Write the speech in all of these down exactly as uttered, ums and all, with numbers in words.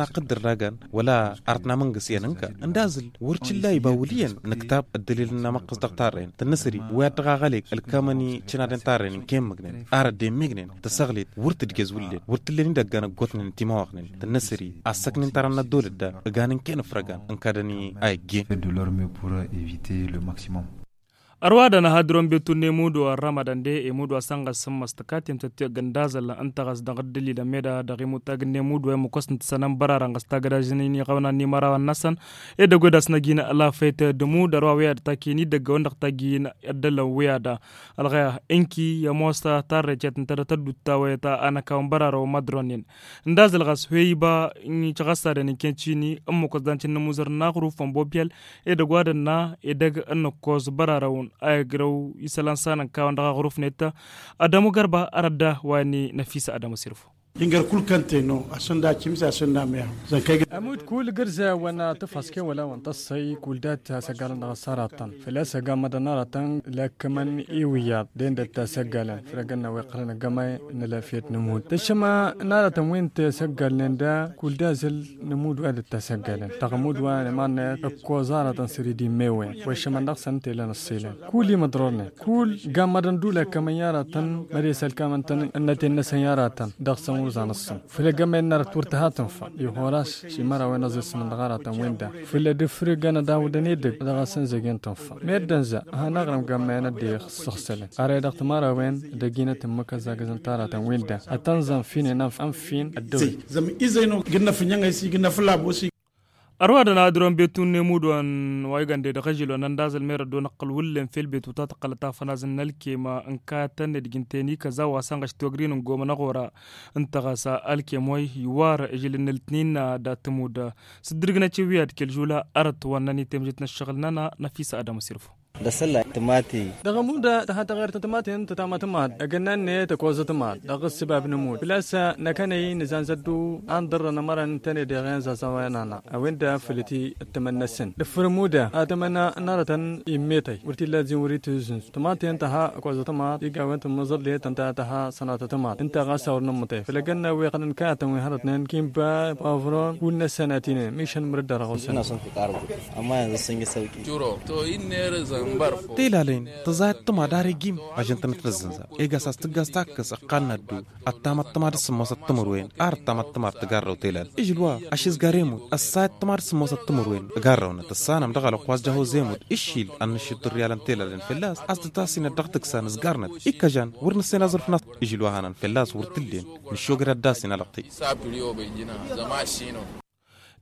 n-aqqǝddǝr dagan wăla arăt n-amǝngǝs iyyăn ǝnka ǝndazǝl wăr cǝlla iba wăl' iyyăn nǝktab ăddălil n-amăqqǝs dăɣ-tarrăyăn tănnăsări wi ad-dăɣ-aɣălek ălkămăn i-cǝnadăn tarrăyăn n-kăyy-măgnen ar ăddemmegnen tăsăɣlet wăr tǝdgez wǝllen wăr t-ǝllen idăggan ăggootnen n-timawăɣnen tănnăsări a ǝssăknen taran n-ăddolăt da ǝgan n-kăyy n-afrăgan ǝnkadăn i-a iggen. Ărwadăn a hadǝron betu n-emudu ărrămădăn de emudu a sănɣăs s-ǝmmăs tǝkatem tăttiɣ ǝndazăl ǝnta ɣas dăɣ-ǝddǝlilăn meda dăɣ-imutag n-emudu a ămmăkos n-tǝsănăn bărarăn ɣas tagădažăn-in iɣăwna n-imărawăn-năsăn. Edăgg-wi ad-asnăj-in lafăyt d-emud ărwa wi ad-takiyen idăggăwăn dăɣ-tagi n-ăddălăn wi ad-ălɣăya ǝnki i-ămoos tarrăycet ǝnta dăɣ-tădduttawăyăt a năkawăn bărarăn wămmăḍronen. Ǝndazăl ɣas hwey iba n-icăɣăssadăn inkăyăn cini ǝmmǝk wăẓḍan cǝnnǝmuzăr n-aɣruf ănbobiyăl edăgg wa dănna edăgg ănnăkkos bărarăwăn a igrăw isălan s-anănkawăn dăɣ-aɣruf-net. Ădămu gărba arădda wa n-inăfisă ădămu s-irfu. Ingăr kul kăntăy no asǝnda cimse asǝnda meha. Zănkăy. Ămudd kul gǝrza wa n-tǝfhăske wăla wa n-tăssăy kul dat asăggalăn dăɣ-s aratăn făl-a-s ăgammădăn aratăn. Lăkkămăn iwǝyyaḍ dendăt asăggalăn făl-ăgg-năwăy qărăn ăggămăy n-alăfyăt n-ămudd tăššăma n-aratăn wi n-tasăggalnen da kul d-azǝl n-ămudd wa dd-tasăggalăn dăɣ-ămudd wa n-iman-net ǝkkoẓ aratăn săr-i d-immewwen wa ăššămăn dăɣ-săn ǝnta ilăn ăṣṣilăn kul imǝḍrornen kul gammădăn d-ulăkkămăn i-aratăn măres ălkamăn-tăn ǝnnăten-năsăn i-aratăn dăɣ-săn wăr za n-ǝṣṣǝn făl ăggămăy n-arăt wăr tǝha tǝnfa i-horas. Ši mărawen ăẓẓismăn dăɣ-aratăn-wen-da făl ădǝfrǝgăn ad-awǝdăn edăgg dăɣ-asăn zăgen tǝnfa meddǝn za. Hanaɣrǝm gammăyăn ăddix ǝssăɣsălăn ara i-dăɣ timărawen dăgg-inăt ǝmmǝk ăzzagăzăn taratăn-wen-da ad-tăn-zăn finen ănf-ănf-in ăddăwăy. Zăm izăyno gǝnnăf ǝnnyăŋ a-s igǝnnăf ǝlabos. Ărwadăn a ǝdron betun n-emudon wa igăn de dăɣ-ažǝlon ăndazăl merăddo n-ăqqăl wǝllen fel betu ta tăqqălăt afănaz n-ălkem ǝnkayăt tăn-ed gǝnten ikăza wa sănɣăš togrin n-gomăn aɣora. Ǝnta ɣas ălkem wa iwar ažǝl n-ǝltnin da tǝmud s-dd-ǝrgǝnăt i-wi ad-kăl-žula arăt wa ǝnnăn i-temžet n-ăššăɣǝl-nănăɣ. Năfisă adămu s-irfu. Dăɣ-sălla tǝmati. Dăɣ-ămudd tăha taɣert n-tǝmaten tǝtama tǝmad ăgg ănnan-net ăkoẓăt tǝmad dăɣ-ǝssǝbab n-ămudd făl-a-s năkănăy nǝzanzăt-du. An ḍărrăn ămărăn tănedăɣen zazăwăn-anăɣ a-wen-dăɣ făll-t-i ăttămăn-năsăn dăɣ-făr ămudd a tămăna n-arătăn. Immătăy wăr t-illa ăzzin wăr-itǝzzǝnz tǝmaten tăha ăkoẓăt tǝmad iga a-wen tǝmmǝẓăllet ǝnta tăha sănatăt tǝmad ǝnta ɣas a wăr nǝmmăḍe făll-ăgg-ănn a-wen iqqălăn kăyatăn wi hărătnen kinba pavron wǝnnăsăn a t-inen mišăn mărăd-dăɣ ăɣosăn. Ămma yanză sǝnjăsăwki. Juro to innere zănbăr fo. Telalen tǝẓayăt tǝmad ar egim. Ažăn-tăn tǝnǝzzǝnza egas a-s tǝggas takkăs ǝqqalnăt-du. Ăttamăt tǝmad s-sǝmmosăt timǝrwen ar ăttamăt tǝmad tǝgarrăw telal ižǝl wa ašǝzgar emud ăssayăt tǝmad s-sǝmmosăt timǝrwen. Ǝgarrăwnăt ǝssanăm dăɣ-alăqqu a-s jăhoz emud. Ǝššil ad-nǝššǝḍ tirriyalăn telalen fălla-s a-s tǝtassinăt dăɣ-tǝksa nǝzgarnăt ikkăžan wăr nǝssen aẓrǝf n-a-s. Ižǝl wa hanăn fălla-s wăr t-ǝllen nǝššogăd ad-dd-asin alăɣtăy.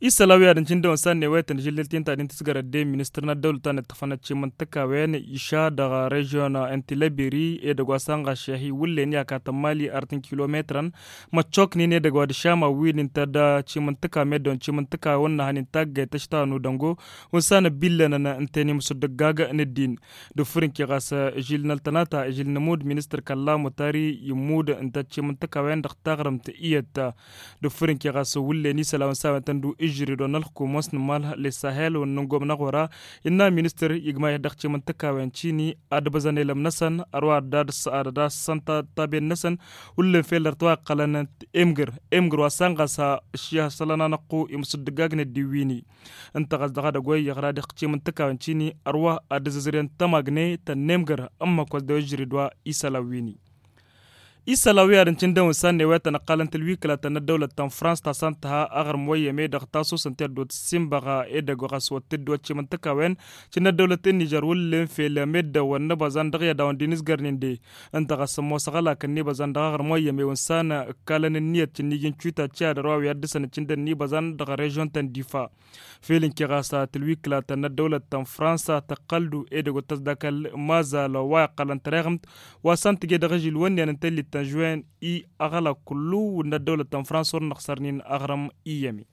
Isălan wi ad-ǝncǝndăwăn s-ad-newăyăt n-ažǝllăl ti n-ta din tǝsgărăt de ministăr n-ăddăwlăt ta n-ǝṭṭăfăn ăčimǝntǝkawen iša dăɣ-režion n-tilăbiri edăgg wa s-anɣaš i-hi wǝllen i-akatăn mali arăt n-kilometrăn. Măččoknen edăgg wa d-ašama wi n-intăd ăčimǝntǝka meddǝwăn ăčimǝntǝkawen n-ahăn intaggăyăt ăštanu dăngo. Wǝnsan ăbillănăn ǝnta i-inǝmsǝddǝggag n-ăddin d-ufǝr n-kiɣas. Ižil n-ăltănata ižil n-amud ministăr kălla mutari immud ǝnta ăčimǝntǝkawen dăɣ-taɣrǝmt iyyăt. D-ufǝr n-kiɣas wǝllen isălan s-a-wen tăn-dd-u ižrǝd wa n-ălxukum wa s-nǝmmalh lessahel wa n-nǝngom n-aɣora. Innă ministăr igmayăt dăɣ-timǝntǝkawen cini ad-ǝbăzăn elăm-năsăn ărwa ad-dd-ăssăn taben-năsăn. Wǝllen fel ărtwa iqqălăn emgǝr emgǝr wa s-anɣas. Ăššihăsălăn anăqqu imǝsǝddǝggag n-ăddiwini. Ǝnta ɣas dăɣ-edăgg wa iyyăɣ rad-ixcim n-tǝkawen cini ărwa ad-ǝzzǝzrǝyăn tămagnet tănnemgăr ǝmmăk wa s-dăw-ijrǝd wa isălan wi-ni. Isălan wi ad-ǝncǝndăwăn s-ad-newăyăt tăn-ăqqalăn tǝlwiklatăn n-ăddăwlăt ta n-frans ta s-ad-tǝha aɣrǝm wa iyyăm edăɣ tasusăn ti ăddoot ǝssinbăɣ edăgg wa ɣas wăr t-dd-wăccim n-tǝkawen. Cǝnna ăddăwlăt n-nižăr wǝllen fel meddǝwăn n-ibăẓan dăɣ-i ad-dawăn d-inǝzgărnen de. Ǝnta ɣas ămoos aɣălak n-inibăẓan dăɣ-aɣrǝm wa iyyăm ewǝnsan ǝkkalăn ǝnniyăt cǝnnij n-tiwita ti ad-ărwa wi ad-dăr-săn ǝccǝndăn inibăẓan dăɣ-režion ta n-difa. Fel ǝnke ɣas tǝlwiklatăn n-ăddăwlăt ta n-fransa tăqqăl-du edăgg wa t-ăsdakăl mazal wa iqqălăn tăreɣǝmt wa s-ăntǝjje dăɣ-ažil wănni-en n-tăllit ta n-žuwen i-aɣălak kullu n-ăddăwlăt ta n-fransa wăr năxsărnen aɣrǝm iyyăm-i.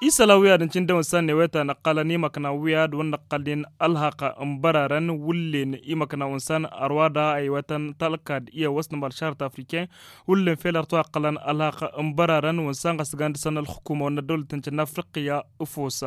Isălan wi ad-ǝncǝndăwăn s-ad-newăyăt a năqqălăn imăkna wi ad-wăr năqqălnen ălhăqq n-bărarăn wǝllen imăkna unsan ărwa da a iwătăn talkad i-awăsnămăl šarăt afriken. Wǝllen fel ărtwa ăqqălăn ălhăqq n-bărarăn wǝnsan ɣas gan dăr-săn ălxukuma wăr n-ăddăwlăt n-cănna afriqya. Ǝfos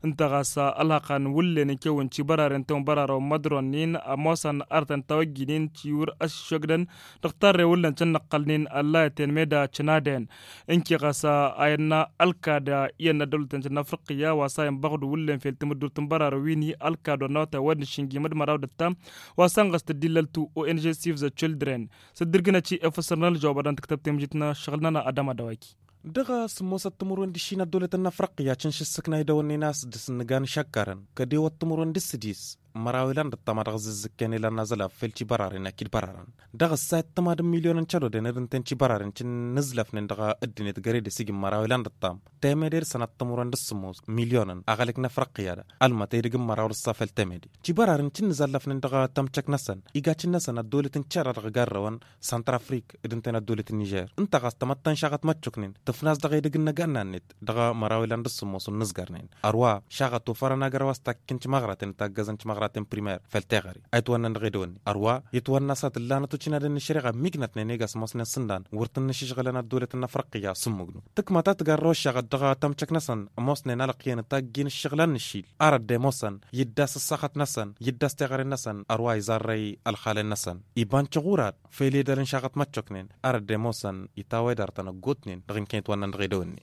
ǝnta ɣas ălhăqq n-wǝllen n-kewăn cibăraren tewăn bărarăn wăr mădronnen ămoosăn arătăn tawăjjinen ciwǝr ăššăgdăn dăɣ-tarre wǝllen cănnăqqălnen ăllayăten meda cănaden. Ǝnke ɣas a innă ălkad iyyăn n-ăddăwlăt n-cănna afriqya wa s-a inbăɣdu wǝllen fel timǝddurt n-bărarăn wi n-hi ălkad wa n-awătay wa d-nǝššǝnjim d-măraw d-ăttam wa s-ănɣăs tăddillăl-tu o n g sivza cildren. S-dd-irgǝnăt i-efăsăr n-ălžăwab ad-dăɣ-nǝktăb temǝžit n-ăššăɣǝl-nănăɣ ad-amădawaki. Dăɣ-sǝmmosăt timǝrwen d-ǝššin ăddăwlăt n-afriqya cǝnš ǝssǝkna idăwănnen a-s dăr-s nǝga n-išăkkărăn kădewăt timǝrwen d-sădis. Măraw ilan d-ăṭṭam a dăɣ-zǝzzǝkken ilan n-azălaf fel tibararen akid bărarăn dăɣ-ăssayăt tămad n-milyonăn cădodăn d-ǝnta n-tibararen cǝnnǝzlăfnen dăɣ-ăddinăt găre d-asǝjǝm măraw ilan d-ăṭṭam. Temeder sănat timǝrwen d-sămmos milyonăn aɣălăk n-afriqya da ălmătăy dăgg-măraw d-ăṣṣa fel temeder tibararen cǝnnǝzăllăfnen dăɣ-tămcăk-năsăn. Igacǝn-năsăn ăddolăt n-cera dăɣ-garrăwăn săntrafrik d-ǝnta n-ăddolăt n-nižer ǝnta ɣas tămăttăn šaɣăt măccuknen tǝfnas dăɣ-edăgg n-agănna-net dăɣ-măraw ilan d-ăṣṣămmos n-nǝzgărnen. Ărwa šaɣăt ofărăn agărăw a-s takkǝn timăɣraten taggăzăn timăɣraten primer făll-teɣăre a itwănnăn dăɣ-edăwănni ărwa itwănna s-ad-tǝllanăt ucinadăn n-ăššăreɣa ămmignătnen i-gasmosnen s-ǝndan wăr tǝnnǝšǝžɣǝlăn ăddolăt n-afriqya s-ǝmmǝgnu. Tǝkma ta tǝgarrăw ăššaɣăt dăɣ-tămcăk-năsăn ămoosnen alăqqiyăn ǝtaggi n-ǝššăɣǝl a n-ǝššil ar ăddemoosăn yǝddas ăṣṣaxăt-năsăn yǝddas teɣăre-năsăn ărwa iẓarrăy ălxalen-năsăn. Iba n-tiɣurad fel edăl n-šaɣăt măccoknen ar ăddemoosăn itawăy d-arătăn ăggootnen dăɣ-inkăyăt wa ǝnnăn dăɣ-edăwănne.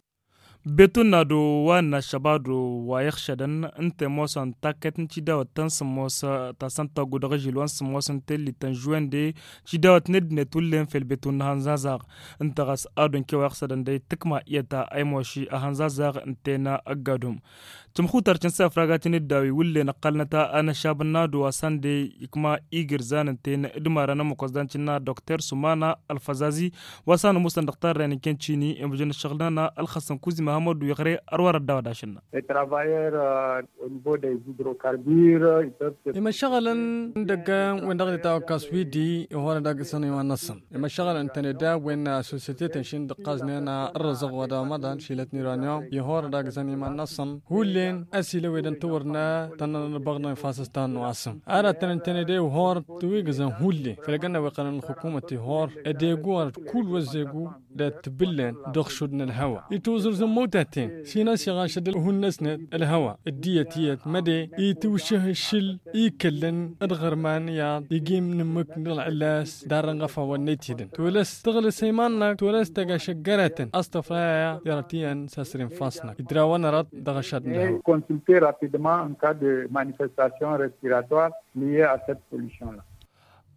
Betunna d-wa n-ašăbadu wa iɣšădăn ǝnta ămoosăn takkăyt n-tidawăt ta n-sǝmmos ta s-ăntăggu dăɣ-ažil wa n-sǝmmos n-tellit ta n-žuwende tidawăt n-ăddinăt wǝllen fel betunna hănzazaɣ. Ǝnta ɣas ad-unke wa iɣsădăn dăy tǝkma iyyăt a ăymoši ahănzazaɣ ǝnta-en ăgg-adum. Tǝmxutar ti n-safraga ti n-ǝddawi wǝllen ăqqălnăt anăšabăn n-ad-wa s-ande ikma igǝrzan ǝnta-en d-imarăn ămmăkosdan ti n-ad-dokter sumana ălfăzazi wa s-anămusăn dăɣ-tarren n-kăncini imǝjăn ăššăɣǝl-nănăɣ ălxăsăn kuzima hămădu iɣre. Ărwa răddaw ad-ašǝnna. Imăššăɣălăn n-idăgg-en wi n-dăɣ-nitawăkkas wi-di ihorăd agǝsăn iman-năsăn imăššăɣălăn ǝntăne d-a-wen sosyete tăn-išin d-ǝqqaznen ărrăzăɣ wa d-amăḍan šilăt n-iranion ihorăd agǝsăn iman-năsăn. Hullen ăsilăwedăn tawărna tănnăn ălbăɣnăn fas s-tannu asǝm. Ara tăn-ǝntăne de ihor tǝwigǝzăn hullen făll-egănna wa iqqălăn ălxukumăt ihor ădegu ar d-kull wa ăzzegu dat-tǝbǝllen dăɣ-šud n-ălhăwa itwǝẓrǝẓ n-imăwtaten. Šinăs iɣašăd ălhun-năsnet ălhăwa ăddiyăt iyyăt măde itwǝššǝh ašǝl ikăllăn d-iɣărman iyyăḍ iji n-ǝmmǝk n-ălɣǝlas darrăn ɣăfawăn n-etidăn tolăs tăɣlǝs ăyman-năk tolăs tăgg-ašăggăratăn a-s tăfrayăya. Irăt iyyăn s-asrǝm fas-năk idrawăn arăt dăɣ-ašăt n-ălhăwa. Consulter rapidement en cas de manifestation respiratoire liée à cette pollution là.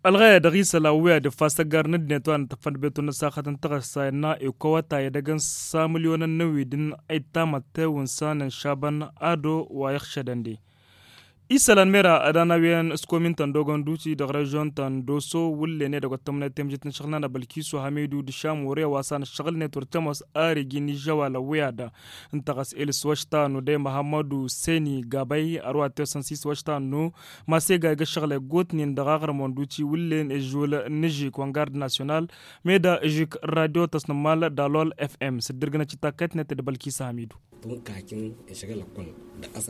Ălɣăyăd ăɣisăl a wi ad-iffas ăggar n-ăddinăt wa n-tăffăn betul n-ăssaxăt n-tăɣăssa innă ikowăta edăgg n-sa mǝlyonăn n-ewidǝn a ittamăt tewǝnsa n-ănšabăn ado wa iɣšădăn de. Isălan mera ad-anawiyăn s-komin tăn-dogăn duti dăɣ-režyon tăn-doso wǝllen edăgg wa t-tămnăyăt temjit n-ašăɣǝl n-anăbălkisu hamidu d-šamure wa s-anăššăɣǝlnet wăr tămoos ar iji n-ižžăwal ăwwiyadăn. Ǝnta ɣas ilǝs wăšta nude măhămmădu seni gabăy ărwa tesăn s-iswăšta nu masega igăššăɣlăy gotnen dăɣ-aɣrǝm wănduci wǝllen ižžul n-ižik wăngard nasyonal. Meda ižik n-radyo tăsnămmal dalol fm s-dd-irgǝnăt i-takkăytnet d-bălkisa hamidu.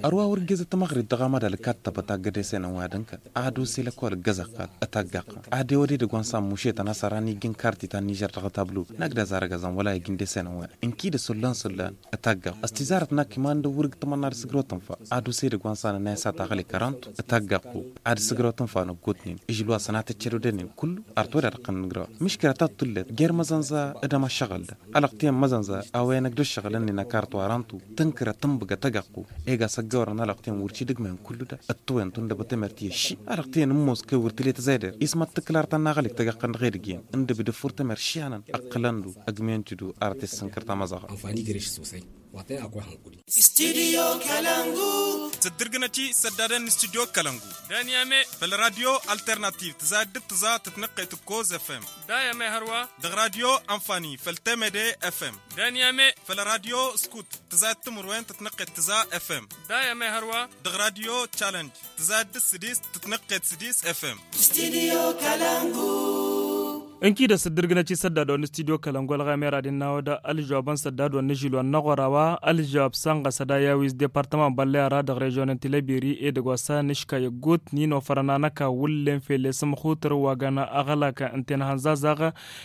Ărwa wăr-ǝggezăt tămăɣrit dăɣ-amădal ǝkkattăbăt aggăd esenăn wa d-ǝnkăt ad-ose lăkol ǝggăzăɣ-t ătaggăɣ-t ad-ewăd edăgg wa n-san mušetăn a-s ăran iji n-karti ta n-nižer dăɣ-tablu. Nagdaz arăgăzăn wăla iji n-desenăn wa inkidăs hullan s-hullan ătaggăɣ-t ăstizarăt n-ak iman d-ăwwǝr ǝgg-tămănna ad-ǝssǝgrăw tǝnfa ad-ose edăgg wa n-san ănayăs a taɣăle kărantu. Ătaggăɣ-t ad-ǝssǝgrăw tǝnfa n-ăggootnen ižǝl wa săn ad-tăcced odănen kullu. Ar todad ăqqăn n-ǝgrăwăn miškăla ta t-tullet jer-măzănza d-amăššăɣǝl da alăɣtiyăn măzănza a-wa inăgg d-ǝššăɣǝl-ǝnnin ăkartu arantu tǝnkărăt tǝnbǝgăt ăgăqqu. Ega s-ăggăwărăn alăɣtiyăn wăr t-idǝgmăyăn kullu da ăttăwăyăn tundăbăt emert i-ăšši alăɣtiyăn ǝmmos kăy wăr tǝle tǝzayder ismăt tǝklar ta n-aɣălik tăgăqqăn dăɣ-edăgg-en ǝndăb d-ǝffur temert ši-anăn ăqqǝlăn-du ăgmăyăn-t-du ar t-issǝnkăr tamăẓaɣa. Anfani gre-š sosai wa tăn-akwa hănkuri. Studio kalangu. Tǝddǝrgǝnăt-i săddadăn n-studio kalangu. Daniyame făll-radyo alternativ tǝza d-tǝza tǝtnăqqet ǝkkoz fm. Dayame hărwa dăɣ-radyo anfani făll-temede fm. Daniyame făll-radyo skut tǝza d-timǝrwen tǝtnăqqet tǝza fm. Dayame hărwa dăɣ-radyo challenge tǝza d-sǝdis tǝtnăqqet sǝdis fm. Studio kalangu. Ǝnkidăs dd-irgǝnăt i-săddadăwăn n-studio kălăngol ɣamera d-innawăd ălžăwabăn săddadăwăn n-ažil wa n-năɣora wa ălžăwab sănɣăs ad-ayawi s-departăman băllăy ara dăɣ-režyon n-tilăbiri edăgg wa s-anǝškay ăggootnen ofărăn anăka wǝllen fel i-sǝmxutăr wa găn aɣălak n-tenhănzazaɣ.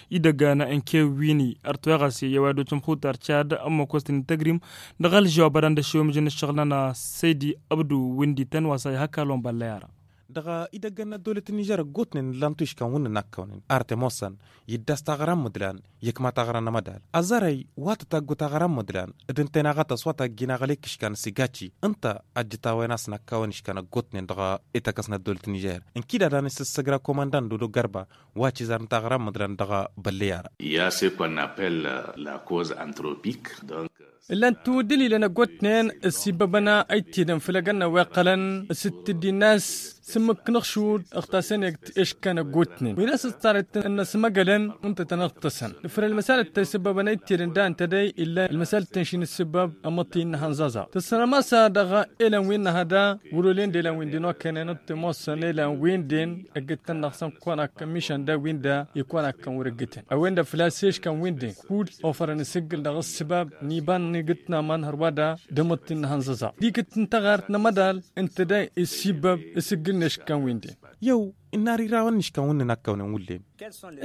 Idăgg n-kewwin ărtweɣăs i-ăwadoj n-imxutăr cad ămmăkos-tăn ităgrim. Dăɣ-ălžăwab ad-ăndăššewăm ijăn ǝššăɣǝl-nănăɣ săydi ăbdu wǝndităn wa s-a ihăkk alon băllăy ara. Dăɣ-idăgg n-ăddolăt n-nižer ăggootnen ǝllan-tu iškan wǝnnin akkăwnen ar t-ămoosăn iddas taɣăra n-imǝdlan. Ikma taɣăra n-amădal ăẓărăy wa tătaggu taɣăra n-imǝdlan d-ǝnta inaɣătăs wa taggin aɣălek iškan s-igaci ǝnta ăjjǝt a-wen a-s n-akkawăn iškan ăggootnen dăɣ-ităkăs n-ăddolăt n-nižer. Ǝnkid ad-anăssăssăgra komandan dodo gărba wa cizar n-taɣăra n-imǝdlan dăɣ-bălley ara. Il y a ce qu'on appelle la cause anthropique donc. Ǝllan-tu d-ililăn ăggootnen ăssiibăbăn a ăytedăn făll-egănna wa iqqălăn s-dd-tǝddi n-a-s s-ǝmmǝk n-aɣšud ǝɣtasăn egt eškan ăggootnen wi n-a-s ăssarăt n-ăsmăgălăn. Ǝnta tăn-ăɣtăsăn nǝfrăn ălmăsalăt ta isǝbbăbăn ăytedăn da ǝnta dăy illa ălmăsalăt ta n-išin ǝssǝbbăb ămmăṭṭin n-ihănẓaẓaɣ tăssărămasa dăɣ-elăn wi n-năhăda. Wăr-olen d-elăn wi n-din okăynen ăṭṭimoosăn elăn wi n-din ǝggǝt-tăn-dăɣ săn kăwăn-akkăn mišan da wi n-da ikăwăn-akkăn wăr-ǝggǝtăn a-wen-dăɣ făl-a-s eškăn wi n-din kull ofărăn isǝggǝl dăɣ-ǝssǝbab n-iba n-igǝtna ma n-hărwa da d-amăṭṭin n-ihănẓăẓa d-ikǝt n-taɣart n-amădal. Ǝnta da issibăb isǝggǝl n-eškăn wi n-din. Yăw ǝnnar irawăn n-iškăn wi n-inakkăwnen wullen.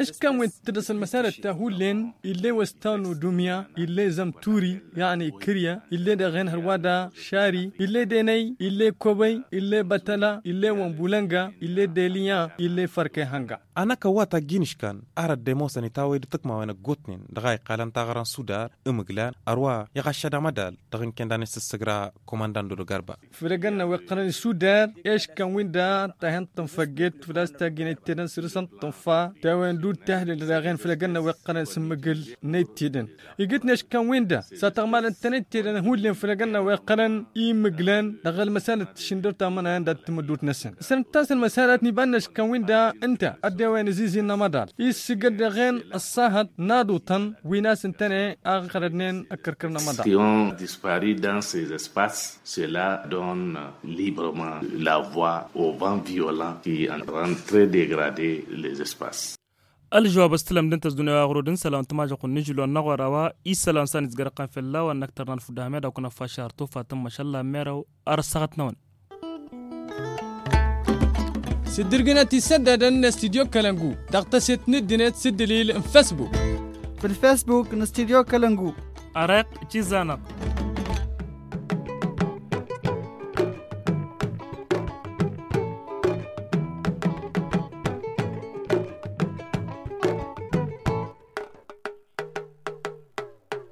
Eškăn wi n-tǝdăs ălmăsalăt ta hullen ille wăstanu dumya ille zăm turi. Yaɣni kǝrya ille dăɣ-en hărwa da šari ille denăy ille kobăy ille bătăla ille wănbulănga ille deliya ille fărkăy hănga. Anăkăw wa taggin iškan ar ădda ămoosăn itawăy d-tǝkmawen ăggootnen dăɣ-a iqqalăn taɣăra n-sudar. Imǝglan ărwa iɣaššăd amădal dăɣ-inken d-anăssăssăgra komandan dodo garba. Făll-egănna wa iqqălăn isudar eškăn wi n-da tahǝntăn făgget făl-a-s taggin ăytedăn săr-săn tǝnfa tawen dd-tahlǝl daɣen făll-egănna wa iqqălăn s-ǝmmǝgǝl n-ăytedăn. Igǝtneš kăn-win-dăɣ s-ad-tăɣmalăn-tăn ăytedăn hullen făll-egănna wa iqqălăn imǝglăn dăɣ-ălmăsalăt tǝššǝndăr tamănayăn dat-tamǝddut-năsăn. Săr-ǝnta a-s ălmăsalăt n-iba-năš kăn-win-dăɣ ǝnta ăddewăyăn ăzizi n-amăḍal isǝgăd dăɣ-en ăṣṣahăt n-aḍutăn wi n-a-s ǝntăne a ɣărădnen ăkkărkăr n-amăḍal. Qui ont disparu dans ces espaces, cela donne librement la voie au vent violent qui est en train très dégrader les espaces. Ălžăwab s-tǝlăm d-ǝnta s-dunya wa ɣur-dd n-isălan timajăɣ-kun n-ižǝlon n-aɣora wa isălan s-ad-nǝzgărăɣ qan fell-a-wa n-năkk tărnan fudda hămeda kunăffa šar tufa tǝmmăšălla merew. Ar ăssaɣăt-năwăn. S-dd-irgǝnăt isăddadăn n-studyo kălăngu dăɣ-tăset n-ǝddǝnet s-ǝddǝlil n-fesbuk. Făll-fesbuk n-studyo kălăngu. Ăreɣ cizanăɣ.